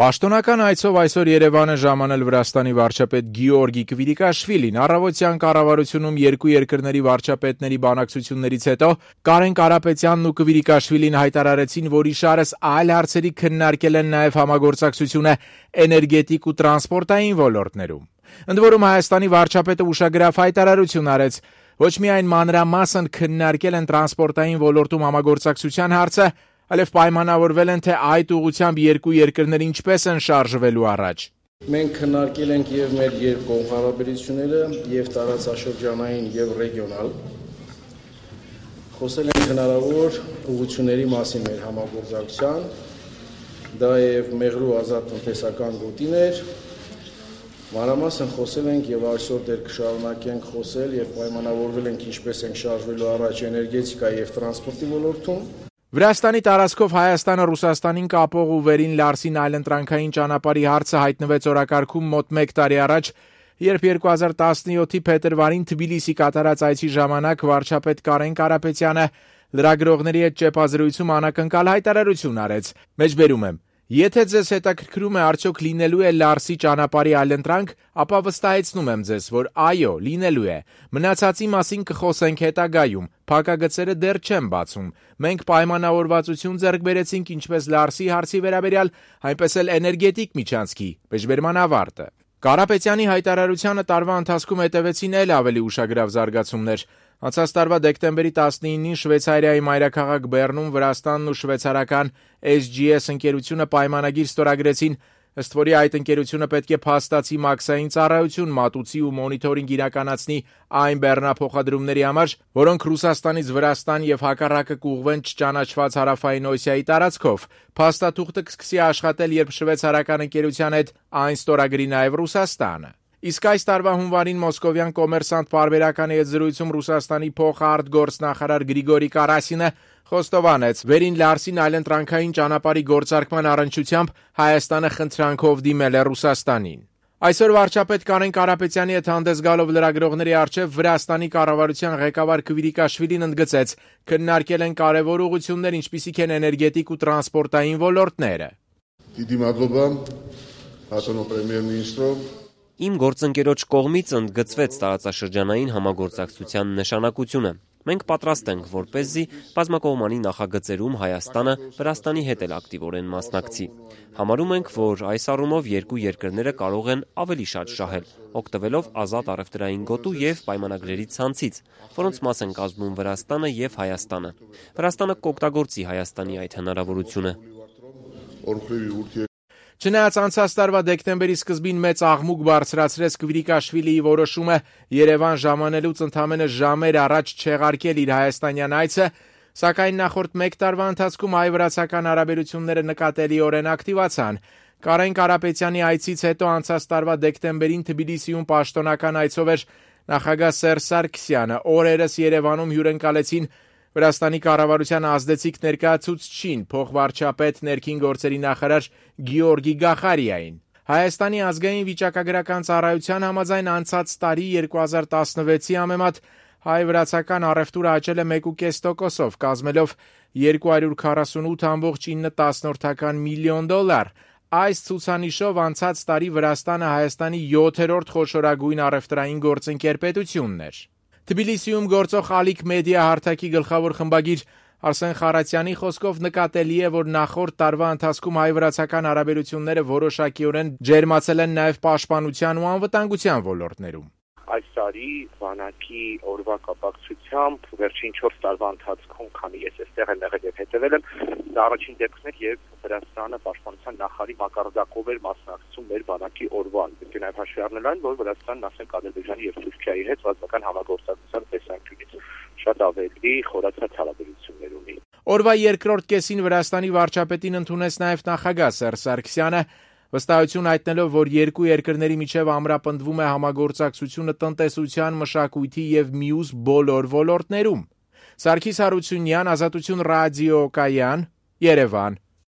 Պաշտոնական այցով այսօր Երևան է ժամանել Վրաստանի վարչապետ Գեորգի Քվիրիկաշվիլին։ Առավոտյան կառավարությունում երկու երկրների վարչապետների բանակցություններից հետո Կարեն Կարապետյանն ու Քվիրիկաշվիլին հայտարարեցին, որ իշարս այլ հարցերի քննարկել են նաև համագործակցությունը էներգետիկ ու տրանսպորտային ոլորտներում։ Ընդ որում Հայաստանի վարչապետը ուշագրավ հայտարարություն արեց, ոչ միայն մանրամասն քննարկել են տրանսպորտային ոլորտում համագործակցության հարցը, այլև պայմանավորվել են, թե այդ ուղղությամբ երկու երկրներ ինչպես են շարժվելու առաջ։ Մենք քննարկել ենք եւ մեր երկկողմ հարաբերությունները, եւ տարածաշրջանային, եւ ռեգիոնալ։ Խոսել ենք հնարավոր ուղղությունների մասին մեր համագործակցության, դա եւ մեղրու ազատ տնտեսական գոտիներ։ Մանրամասն խոսել ենք եւ այսօր դեռ կշարունակենք խոսել եւ պայմանավորվել ենք ինչպես ենք շարժվելու առաջ էներգետիկայի եւ տրանսպորտի ոլորտում։ Վրաստանի տարածքով Հայաստանը Ռուսաստանին կապող ու վերին Լարսին այլընտրանքային ճանապարհի հարցը հայտնվեց օրակարգում մոտ 1 տարի առաջ, երբ 2017-ի փետրվարին Թբիլիսի կատարած այցի ժամանակ վարչապետ Կարեն Կարապետյանը լրագրողների հետ ճեպազրույցում անակնկալ հայտարարություն արեց։ Մեջբերում եմ. Եթե ձեզ հետաքրքրում է արդյոք լինելու է Լարսի ճանապարհի այլընտրանք, ապա վստահեցնում եմ ձեզ, որ այո, լինելու է։ Մնացածի մասին կխոսենք հետագայում, փակագծերը դեռ չեն բացում։ Մենք պայմանավորվածություն ձեռք բերեցինք ինչպես Լարսի հարցի վերաբերյալ, այնպես էլ էներգետիկ միջանցքի, մեջբերման ավարտը։ Կարապետյանի հայտարարությանը տարվա ընթացքում հետևեցին էլ ավելի ուշագրավ զարգացումներ։ Անցած տարվա դեկտեմբերի 19-ին Շվեյցարիայի մայրաքաղաք Բեռնում Վրաստանն ու շվեյցարական SGS ընկերությունը պայմանագիր ստորագրեցին, ըստ որի այդ ընկերությունը պետք է փաստացի մաքսային ծառայություն մատուցի ու մոնիթորինգ իրականացնի այն բեռնափոխադրումների համար, որոնք Ռուսաստանից Վրաստան եւ հակառակը կուղղվեն չճանաչված հարավային Օսիայի տարածքով։ Փաստաթուղթը կսկսի աշխատել, երբ շվեյցարական ընկերության հետ այն ստորագրի նաև Ռուսաստանը։ Իսկ այս տարվա հունվարին Մոսկովյան կոմերսանտ պարբերականի հետ զրույցում Ռուսաստանի փոխարտգործնախարար Գրիգորի Կարասինը խոստովանեց, վերին Լարսին այլընտրանքային ճանապարհի գործարկման առնչությամբ Հայաստանը խնդրանքով դիմել է Ռուսաստանին։ Այսօր վարչապետ Կարեն Կարապետյանի հետ հանդես գալով լրագրողների առջև Վրաստանի կառավարության ղեկավար Քվիրիկաշվիլին ընդգծեց, քննարկել են կարևոր ուղղություններ, ինչպիսիք են էներգետիկ ու տրանսպորտային ոլորտները։ Իմ գործընկերոջ կողմից ընդգծվեց տարածաշրջանային համագործակցության նշանակությունը։ Մենք պատրաստ ենք, որպեսզի բազմակողմանի նախագծերում Հայաստանը Վրաստանի հետ էլ ակտիվորեն մասնակցի։ Համարում ենք, որ այս առումով երկու երկրները կարող են ավելի շատ շահել, օգտվելով ազատ առևտրային գոտու եւ պայմանագրերի ցանցից, որոնց մաս են կազմում Վրաստանը եւ Հայաստանը։ Վրաստանը կօգտագործի Հայաստանի այդ հնարավորությունը։ Չնայած անցած տարվա դեկտեմբերի սկզբին մեծ աղմուկ բարձրացրեց Քվիրիկաշվիլիի որոշումը Երևան ժամանելուց ընդամենը ժամեր առաջ չեղարկել իր հայաստանյան այցը, սակայն նախորդ 1 տարվա ընթացքում հայ-վրացական հարաբերությունները նկատելիորեն ակտիվացան։ Կարեն Կարապետյանի այցից հետո անցած տարվա դեկտեմբերին Թբիլիսիում պաշտոնական այցով էր նախագահ Սերժ Սարգսյանը, օրերս Երևանում հյուրընկալեցին Վրաստանի կառավարության ազդեցիկ ներկայացուցչին, փոխվարչապետ ներքին գործերի նախարար Գեորգի Գախարիային։ Հայաստանի ազգային վիճակագրական ծառայության համաձայն անցած տարի 2016-ի համեմատ հայ-վրացական առևտուրը աճել է 1.5%-ով, կազմելով $248.9 միլիոն։ Այս ցուցանիշով անցած տարի Վրաստանը Հայաստանի 7-րդ խոշորագույն առևտրային գործընկեր պետությունն էր։ Թբիլիսիում գործող Ալիք մեդիա հարթակի գլխավոր խմբագիր Արսեն Խարատյանի խոսքով նկատելի է, որ նախորդ տարվա ընթացքում հայ-վրացական հարաբերությունները որոշակիորեն ջերմացել են նաև պաշտպանության ու անվտանգության ոլորտներում։ Այս տարի բանակի օրվա կապակցությամբ վերջին 4 տարվա ընթացքում, քանի ես այստեղ եմ եղել եւ հետեւել եմ, դա առաջին դեպքն էր, երբ Վրաստանը պաշտպանության նախարարի մակարդակով էր մասնակցում մեր բանակի օրվան։ Պետք է նաեւ հաշվի առնել այն, որ Վրաստանն, ասենք, Ադրբեջանի եւ Թուրքիայի հետ ռազմական համագործակցության տեսանկյունից շատ ավելի խորացած հարաբերություններ ունի։ Օրվա երկրորդ կեսին Վրաստանի վարչապետին ընդունեց նաև նախագահ Սերժ Սարգսյանը, վստահություն հայտնելով, որ երկու երկրների միջև ամրապնդվում է համագործակցությունը տնտեսության, մշակույթի եւ մյուս բոլոր ոլորտներում։ Սարգիս Հարությունյան, Ազատություն ռադիոկայան, Երևան։